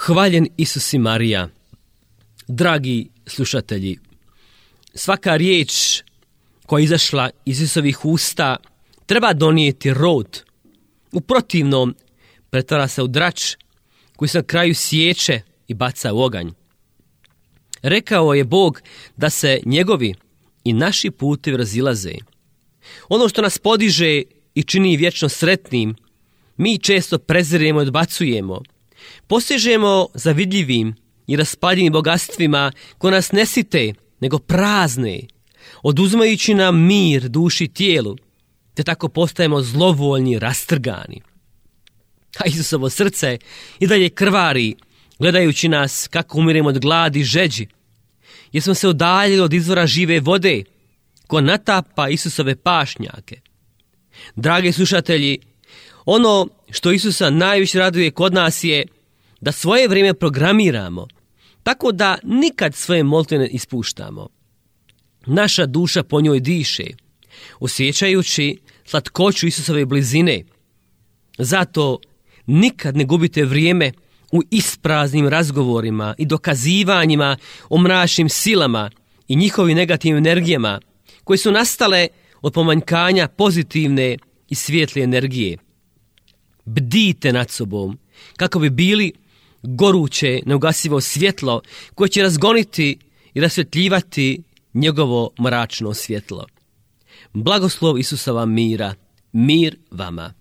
Hvaljen Isus i Marija. Dragi slušatelji, svaka riječ koja je izašla iz Isusovih usta treba donijeti rod. U protivnom pretvara se u drač koji se na kraju siječe i baca u oganj. Rekao je Bog da se njegovi i naši putevi razilaze. Ono što nas podiže i čini vječno sretnim, mi često preziremo i odbacujemo. Posežemo za vidljivim i raspaljivim bogatstvima koje nas ne site, nego prazne, oduzimajući nam mir duši i tijelu, te tako postajemo zlovoljni i rastrgani. A Isusovo srce i dalje krvari, gledajući nas kako umiremo od gladi i žeđi, jer smo se udaljili od izvora žive vode, ko natapa Isusove pašnjake. Dragi slušatelji, ono što Isusa najviše raduje kod nas je da svoje vrijeme programiramo, tako da nikad svoje molitve ne ispuštamo. Naša duša po njoj diše, osjećajući slatkoću Isusove blizine. Zato nikad ne gubite vrijeme u ispraznim razgovorima i dokazivanjima o mračnim silama i njihovim negativnim energijama koje su nastale od pomanjkanja pozitivne i svijetle energije. Bdijte nad sobom kako bi bili goruće, neugasivo svjetlo koje će razgoniti i rasvjetljivati njegovo mračno svjetlo. Blagoslov Isusova mira, mir vama.